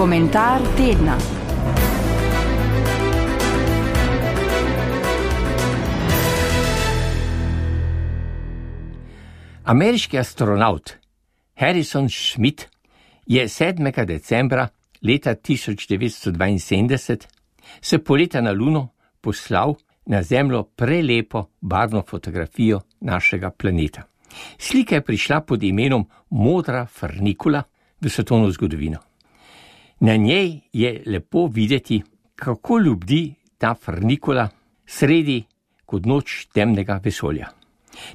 Komentar tedna. Ameriški astronavt Harrison Schmitt je 7. decembra leta 1972 s poleta na Luno poslal na Zemljo prelepo barvno fotografijo našega planeta. Slika je prišla pod imenom Modra frnikula v svetovno zgodovino. Na njej je lepo videti, kako ljubdi ta frnikula sredi kot noč temnega vesolja.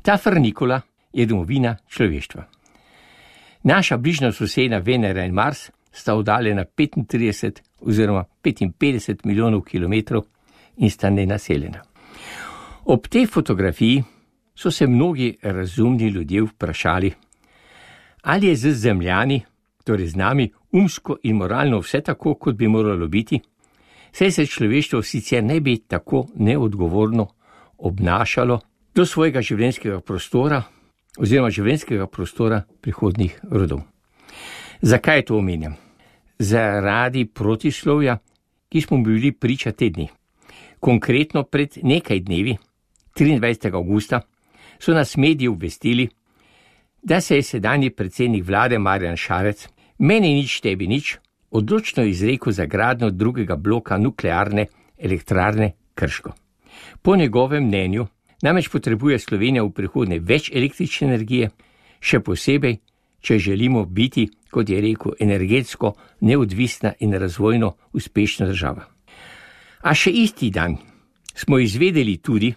Ta frnikula je domovina človeštva. Naša bližnja soseda Venera in Mars sta oddaljena 35 oziroma 55 milijonov kilometrov in sta nenaseljena. Ob tej fotografiji so se mnogi razumni ljudje vprašali, ali je z Zemljani, torej z nami, umsko in moralno vse tako, kot bi moralo biti, saj se človeštvo sicer ne bi tako neodgovorno obnašalo do svojega življenjskega prostora oziroma življenjskega prostora prihodnjih rodov. Zakaj to omenjam? Zaradi protislovja, ki smo bili priča te dni. Konkretno pred nekaj dnevi, 23. avgusta, so nas mediji obvestili, da se je sedanji predsednik vlade Marjan Šarec, meni nič, tebi nič, odločno izrekel za gradnjo drugega bloka nuklearne elektrarne Krško. Po njegovem mnenju namreč potrebuje Slovenija v prihodnje več električne energije, še posebej, če želimo biti, kot je rekel, energetsko neodvisna in razvojno uspešna država. A še isti dan smo izvedeli tudi,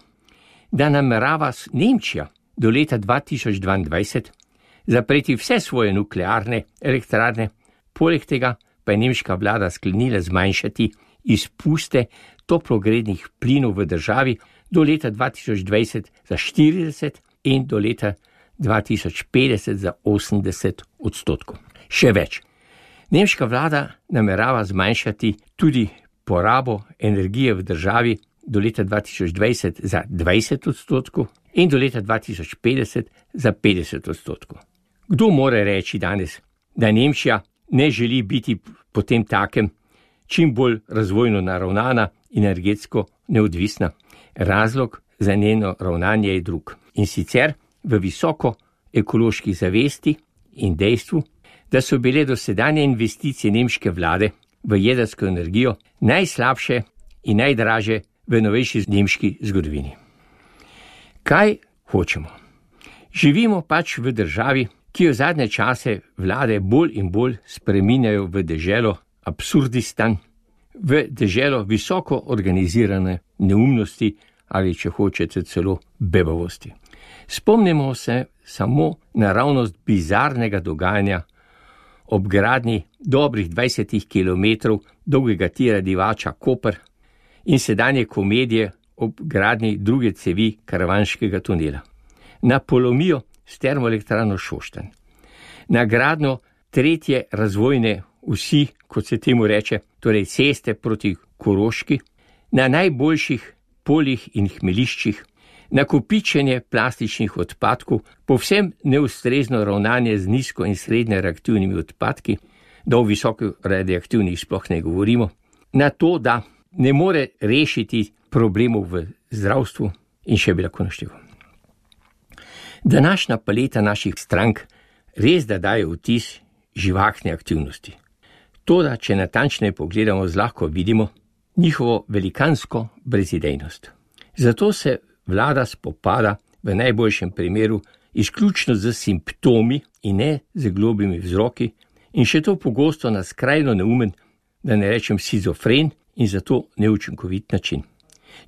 da namerava Nemčija do leta 2022 zapreti vse svoje nuklearne elektrarne, poleg tega pa je nemška vlada sklenila zmanjšati izpuste toplogrednih plinov v državi do leta 2020 za 40 in do leta 2050 za 80%. Še več. Nemška vlada namerava zmanjšati tudi porabo energije v državi do leta 2020 za 20% in do leta 2050 za 50%. Kdo more reči danes, da Nemčija ne želi biti potem takem čim bolj razvojno naravnana in energetsko neodvisna? Razlog za njeno ravnanje je drug. In sicer v visoko ekološki zavesti in dejstvu, da so bile dosedanje investicije nemške vlade v jedrsko energijo najslabše in najdraže v novejši nemški zgodovini. Kaj hočemo? Živimo pač v državi, ki jo zadnje čase vlade bolj in bolj spreminjajo v deželo Absurdistan, v deželo visoko organizirane neumnosti ali, če hočete, celo bebavosti. Spomnimo se samo naravnost bizarnega dogajanja ob gradnji dobrih 20 kilometrov dolgega tira Divača Koper in sedanje komedije ob gradnji druge cevi karavanškega tunela, na polomijo s termoelektrarno Šoštanj, na gradnjo tretje razvojne osi, kot se temu reče, torej ceste proti Koroški, na najboljših poljih in hmeliščih, nakopičenje plastičnih odpadkov, povsem neustrezno ravnanje z nizko in srednje reaktivnimi odpadki, da o visoko radioaktivnih sploh ne govorimo, na to, da ne more rešiti problemov v zdravstvu in še bi lahko našteval. Današnja paleta naših strank res da daje vtis živahne aktivnosti. Toda, če natančneje pogledamo, zlahka vidimo njihovo velikansko brezidejnost. Zato se vlada spopada v najboljšem primeru izključno z simptomi in ne z globimi vzroki in še to pogosto na skrajno neumen, da ne rečem shizofren in zato neučinkovit način.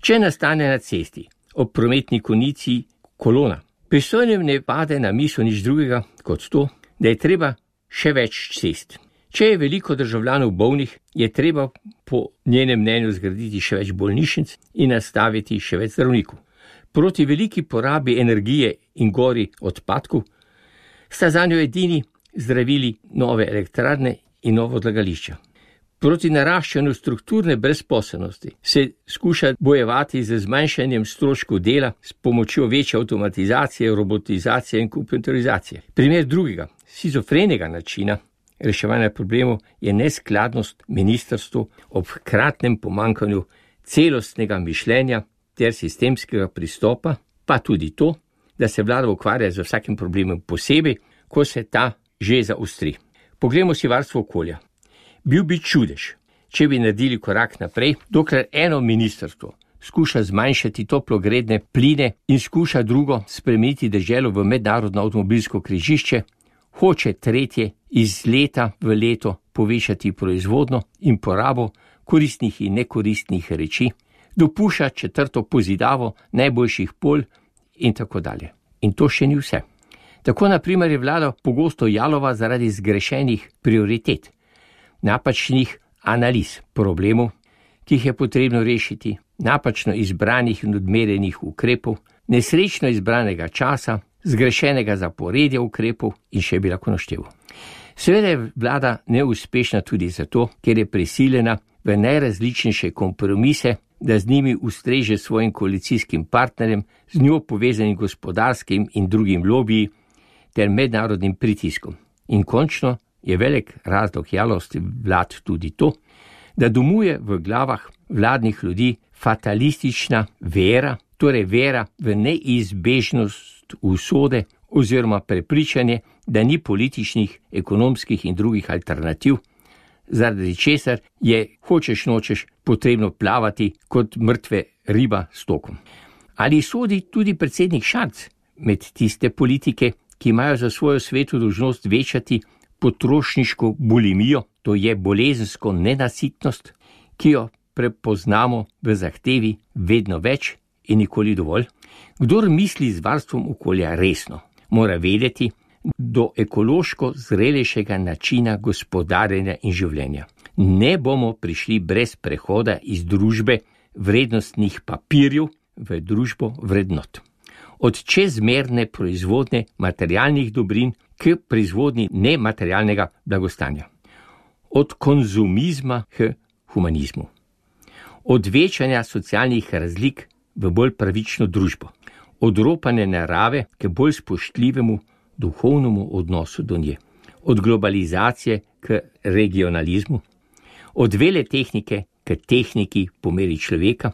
Če nastane na cesti ob prometni konici kolona, pristojnim ne pade na misel nič drugega kot to, da je treba še več cest. Če je veliko državljanov bolnih, je treba po njenem mnenju zgraditi še več bolnišnic in nastaviti še več zdravnikov. Proti veliki porabi energije in gori odpadkov sta zanjo edini zdravili nove elektrarne in novo odlagališča. Proti naraščanju strukturne brezposelnosti se skuša bojevati z zmanjšanjem stroškov dela s pomočjo večje avtomatizacije, robotizacije in kompjuterizacije. Primer drugega, shizofrenega načina reševanja problemov je neskladnost ministrstvu ob hkratnem pomanjkanju celostnega mišljenja ter sistemskega pristopa, pa tudi to, da se vlada ukvarja z vsakim problemom posebej, ko se ta že zaostri. Poglejmo si varstvo okolja. Bil bi čudež, če bi naredili korak naprej, dokler eno ministrstvo skuša zmanjšati toplogredne pline in skuša drugo spremeniti deželo v mednarodno avtomobilsko križišče, hoče tretje iz leta v leto povečati proizvodno in porabo koristnih in nekoristnih reči, dopušča četrto pozidavo najboljših polj in tako dalje. In to še ni vse. Tako na primer je vlada pogosto jalova zaradi zgrešenih prioritet, napačnih analiz problemov, ki jih je potrebno rešiti, napačno izbranih in odmerenih ukrepov, nesrečno izbranega časa, zgrešenega zaporedja ukrepov in še bi lahko našteval. Seveda je vlada neuspešna tudi zato, ker je prisiljena v najrazličnejše kompromise, da z njimi ustreže svojim koalicijskim partnerjem, z njo povezanim gospodarskim in drugim lobiji ter mednarodnim pritiskom. In končno je velik razlog jalosti vlad tudi to, da domuje v glavah vladnih ljudi fatalistična vera, torej vera v neizbežnost usode oziroma prepričanje, da ni političnih, ekonomskih in drugih alternativ, zaradi česar je hočeš nočeš potrebno plavati kot mrtve riba s tokom. Ali sodi tudi predsednik Šarec med tiste politike, ki imajo za svojo svetu dolžnost večati potrošniško bulimijo, to je bolezensko nenasitnost, ki jo prepoznamo v zahtevi vedno več in nikoli dovolj? Kdor misli z varstvom okolja resno, mora vedeti, do ekološko zrelejšega načina gospodarjenja in življenja ne bomo prišli brez prehoda iz družbe vrednostnih papirjev v družbo vrednot. Od čezmerne proizvodnje materialnih dobrin k proizvodnji nematerialnega blagostanja. Od konzumizma k humanizmu. Od večanja socialnih razlik v bolj pravično družbo. Od ropanja narave k bolj spoštljivemu duhovnemu odnosu do nje. Od globalizacije k regionalizmu. Od vele tehnike k tehniki po meri človeka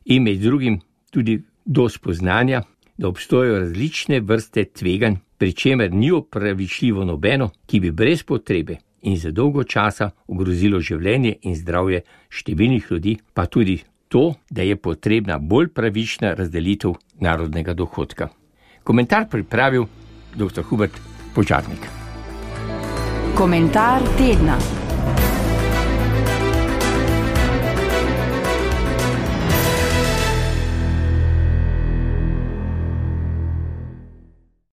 in med drugim tudi do spoznanja, da obstojajo različne vrste tveganj, pri čemer ni opravičljivo nobeno, ki bi brez potrebe in za dolgo časa ogrozilo življenje in zdravje številnih ljudi, pa tudi to, da je potrebna bolj pravična razdelitev narodnega dohodka. Komentar pripravil dr. Hubert Požarnik. Komentar tedna.